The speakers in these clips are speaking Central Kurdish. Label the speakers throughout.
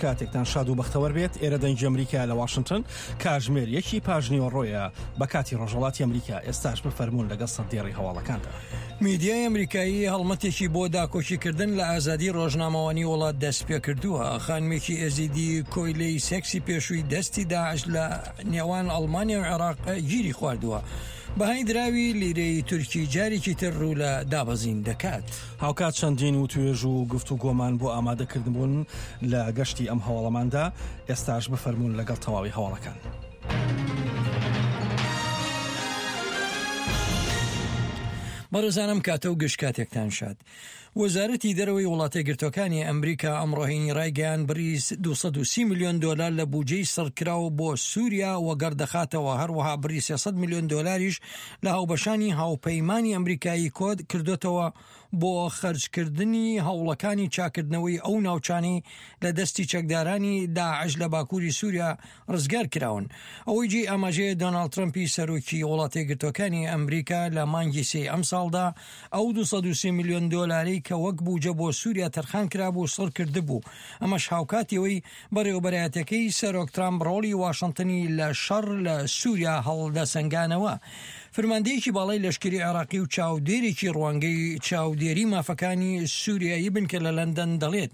Speaker 1: کاتێکتان شاد و بەختەوەر بێت ئێرە دەنگی ئەمریکا لە واشنتن کاژمێر یەکی پاژنیوەڕۆیە بە کاتی ڕۆژهەڵاتی ئەمریکا ئێستاش بفەرموون لەگەڵ سەردێڕی هەواڵەکاندا.
Speaker 2: میدیای ئەمریکایی هەڵمەتێکی بۆ داکۆکیکردن لە ئازادی ڕۆژنامەوانی وڵات دەستپێکردووە. خانمێکی ئێزیدی کۆیلەی سێکسی پێشووی دەستی داعش لە نێوان ئەڵمانیا و عێراق گیری خواردووە. بەهای دراوی لیرەی تورکی جارێکی تر ڕوو لە دابەزین دەکات.
Speaker 1: هاوکات چەندین وتوێژ و گفتوگۆمان بۆ ئامادەکردن بوون لە گەشتی ئەم هەواڵەماندا، ئێستاش بفەرموون لەگەڵ تەواوی هەواڵەکان.
Speaker 2: بەڕێزان ئەم کاتە و گشت کاتێکتان شاد. وەزارەتی دەرەوەی وڵاتەیەکگرتووەکانی ئەمریکا ئەمڕۆ هەینی ڕایگەیاند بڕی 230 ملیۆن دۆلار لە بودجەی سڕکراو بۆ سووریا وەگەڕ دەخاتەوە، هەروەها بڕی 300 ملیۆن دۆلاریش لە هاوبەشانی هاوپەیمانی ئەمریکایی کۆد کردۆتەوە بۆ خەرجکردنی هەوڵەکانی چاکردنەوەی ئەو ناوچانەی لە دەستی چەکدارانی داعش لە باکووری سووریا ڕزگار کراون. ئەوەی جێی ئاماژەیە دۆناڵد ترەمپی سەرۆکی وڵاتەیەکگرتووەکانی ئەمریکا لە مانگی سێی ئەمساڵدا ئەو 230 ملیۆن دۆلارەی کە وەک بوجە بۆ سووریا تەرخان کرابوو سڕ کردبوو، ئەمەش هاوکاتی ئەوەی بەڕێوەبەرایەتیەکەی سەرۆک ترامپ ڕۆڵی واشنتنی لە شەڕ لە سووریا هەڵدەسەنگانەوە. فرماندەیەکی باڵای لەشکری عێراقی و چاودێرێکی ڕوانگەی چاودێری مافەکانی سووریایی بنکە لە لەندەن دەڵێت،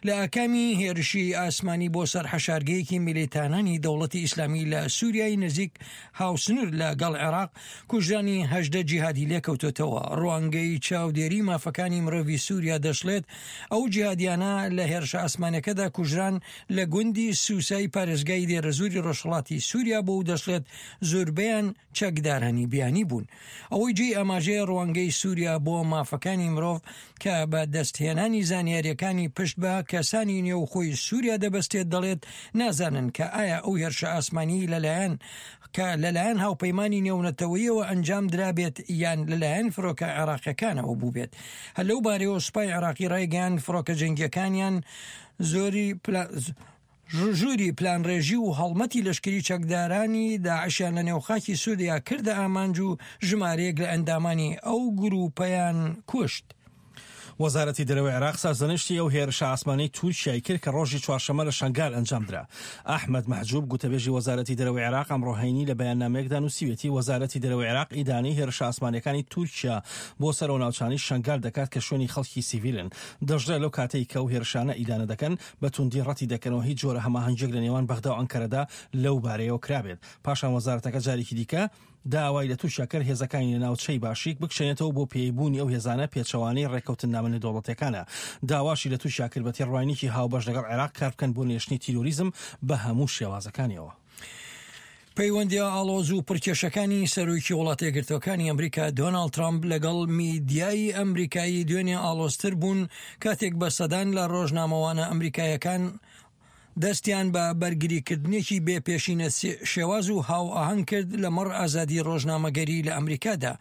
Speaker 2: لە ئاکامی هێرشی ئاسمانی بۆ سەر حەشارگەیەکی میلیتانانی دەوڵەتی ئیسلامی لە سووریای نزیک هاوسنوور لە گەڵ عێراق کوژرانی 18 جیهادی لێکەوتۆتەوە. ڕوانگەی چاودێری مافەکانی مرۆڤی سووریا دەشڵێت، ئەو جیهادیانە لە هێرشە ئاسمانیەکەدا کوژران لە گوندی سوسای پارێزگای دێرەزووری ڕۆژهەڵاتی سووریا بوو و دەشڵێت زۆربەیان چەکدارانی بیانی بوون. ئەوەی جێی ئاماژەیە ڕوانگەی سووریا بۆ مافەکانی مرۆڤ کە بە دەستهێنانی زانیارییەکانی پشت بە کەسانی نێوخۆی سووریا دەبەستێت دەڵێت نازانن کە ئایا ئەو هێرشە ئاسمانیی لەلایەن کە لەلایەن هاوپەیمانی نێونەتەوەیەوە ئەنجام درابێت یان لەلایەن فرۆکە عێراقیەکانەوە بووبێت. هەر لەو بارەیەوە سوپای عێراقی ڕایگەیاند فڕۆکە جەنگیەکانیان زۆری ژووری پلانڕێژی و هەڵمەتی لەشکری چەکدارانی داعشیان لە نێو خاکی سووریا کردە ئامانج و ژمارەیەک لە ئەندامانی ئەو گرووپەیان کوشت.
Speaker 1: وەزارەتی دەرەوەی عێراق سەرزەنشتی ئەو هێرشە ئاسمانیەی تورکیای کرد کە ڕۆژی چوارشەممە لە شەنگال ئەنجامدرا. ئەحمەد مەحجوب، گوتەبێژی وەزارەتی دەرەوەی عێراق ئەمڕۆ هەینی لە بەیاننامەیەکدا نووسیویەتی، وەزارەتی دەرەوەی عێراق ئیدانەی هێرشە ئاسمانییەکانی تورکیا بۆ سەر ئەو ناوچانەی شەنگال دەکات کە شوێنی خەڵکی سیڤیلن. دەشڵێت لەو کاتەی کە ئەو هێرشانە ئیدانە دەکەن، بە توندی ڕەتی دەکەنەوە هیچ جۆرە هەماهەنگییەک لە نێوان بەغدا و ئەنکەرەدا لەو بارەیەوە کرابێت. پاشان وەزارەتەکە جارێکی دیکە داوای لە تورکیا کرد هێزەکانی لە ناوچەی باشیک بکشێنێتەوە بۆ پێی بوونی ئەو هێزانە پێچەوانەی ڕێککەوتننامە نێودەوڵەتیەکانە. داواشی لە تورکیا کرد بە تێڕوانینێکی هاوبەش لەگەڵ عێراق کاربکەن بۆ نێشتنی تیرۆریزم بە هەموو شێوازەکانیەوە.
Speaker 2: پەیوەندییە ئاڵۆز و پڕکێشەکانی سەرۆکی وڵاتەیەکگرتووەکانی ئەمریکا دۆناڵد ترامپ لەگەڵ میدیای ئەمریکایی دوێنێ ئاڵۆزتر بوون کاتێک بە سەدان لە ڕۆژنامەوانە ئەمریکایەکان دەستیان بە بەرگریکردنێکی بێ پێشینە شێواز و هاوئاهەنگ کرد لەمەڕ ئازادی ڕۆژنامەگەری لە ئەمریکادا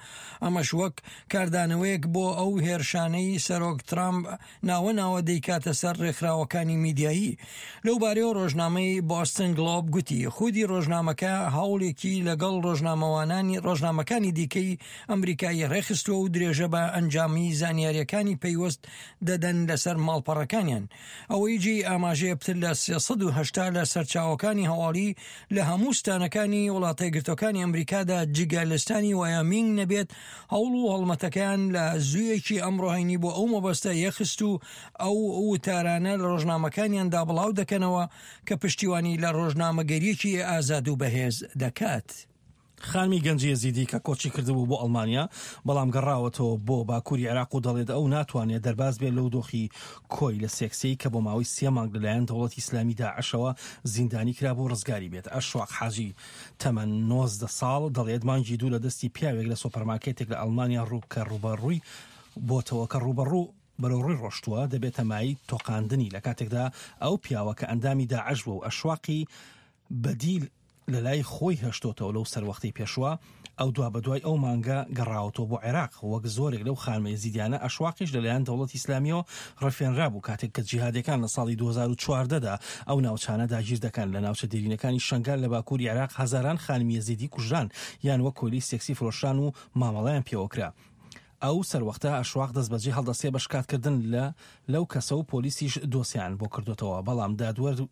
Speaker 2: ئەمەش وەک کاردانەوەیەک بۆ ئەو هێرشانەی سەرۆک ترامپ ناوە ناوە دەیکاتە سەر ڕێکخراوەکانی میدیایی. لەو بارەیەوە ڕۆژنامەی بۆستن گڵۆب گوتی، خودی ڕۆژنامەکە هەوڵێکی لەگەڵ ڕۆژنامەوانانی ڕۆژنامەکانی دیکەی ئەمریکایی ڕێکخستووە و درێژە بە ئەنجامی زانیارییەکانی پەیوەست دەدەن لەسەر ماڵپەڕەکانیان. ئەوەی جێی ئاماژەیە پتر لە 380 لە سەرچاوەکانی هەواڵی لە هەموو ستانەکانی وڵاتەیەکگرتووەکانی ئەمریکادا جگە لە ستانی وایۆمینگ نەبێت هەوڵ و هەڵمەتەکەیان لە زوویەکی ئەمڕۆ هەینی بۆ ئەو مەبەستە یەخست و ئەو وتارانە لە ڕۆژنامەکانیاندا بڵاو دەکەنەوە کە پشتیوانی لە ڕۆژنامەگەریەکی ئازاد و بەهێز دەکات.
Speaker 1: خانمی گەنجی ئێزیدی کە کۆچی کردبوو بۆ ئەڵمانیا، بەڵام گەڕاوەتەوە بۆ باکووری عێراق و دەڵێت ئەو ناتوانێت دەرباز بێت لەو دۆخی کۆیلە سێکسیەی کە بۆ ماوەی سێ مانگ لەلایەن دەوڵەتی ئیسلامی داعشەوە زیندانی کرابوو ڕزگاری بێت. ئەشواق حاجی تەمەن 19 ساڵ دەڵێت مانگی دوو لە دەستی پیاوێک لە سۆپەرمارکێتێک لە ئەڵمانیا ڕوو کە ڕووبەڕووی بۆتەوە کە ڕووبەڕوو بەرەو ڕووی ڕۆشتووە دەبێتە مایەی تۆقاندنی لە کاتێکدا ئەو پیاوە کە ئەندامی داعش بووە و ئەشواقی بەدیل لەلای خۆی هێشتۆتەوە لەو سەروەختەی پێشوە، ئەو دوابەدوای ئەو مانگە گەڕاوەتەوە بۆ عێراق، وەک زۆرێک لەو خانمە ئێزیدیانە ئەشواقیش لەلایەن دەوڵەتی ئیسلامییەوە ڕفێنرابوو کاتێک کە جیهادیەکان لە ساڵی 2014 دا ئەو ناوچانە داگیر دەکەن. لە ناوچە دێرینەکانی شەنگال لە باکووری عێراق هەزاران خانمی ئێزیدی کوژران یان وەک کۆیلەی سێکسی فرۆشران و مامەڵەیان پێوەکرا. ئەو سەروەختە ئەشواق دەستبەجێ هەڵدەستێ بە شکاتکردن لە لەو کەسە و پۆلیسیش دۆسیان بۆ کردوتەوە، بەڵام دادوەر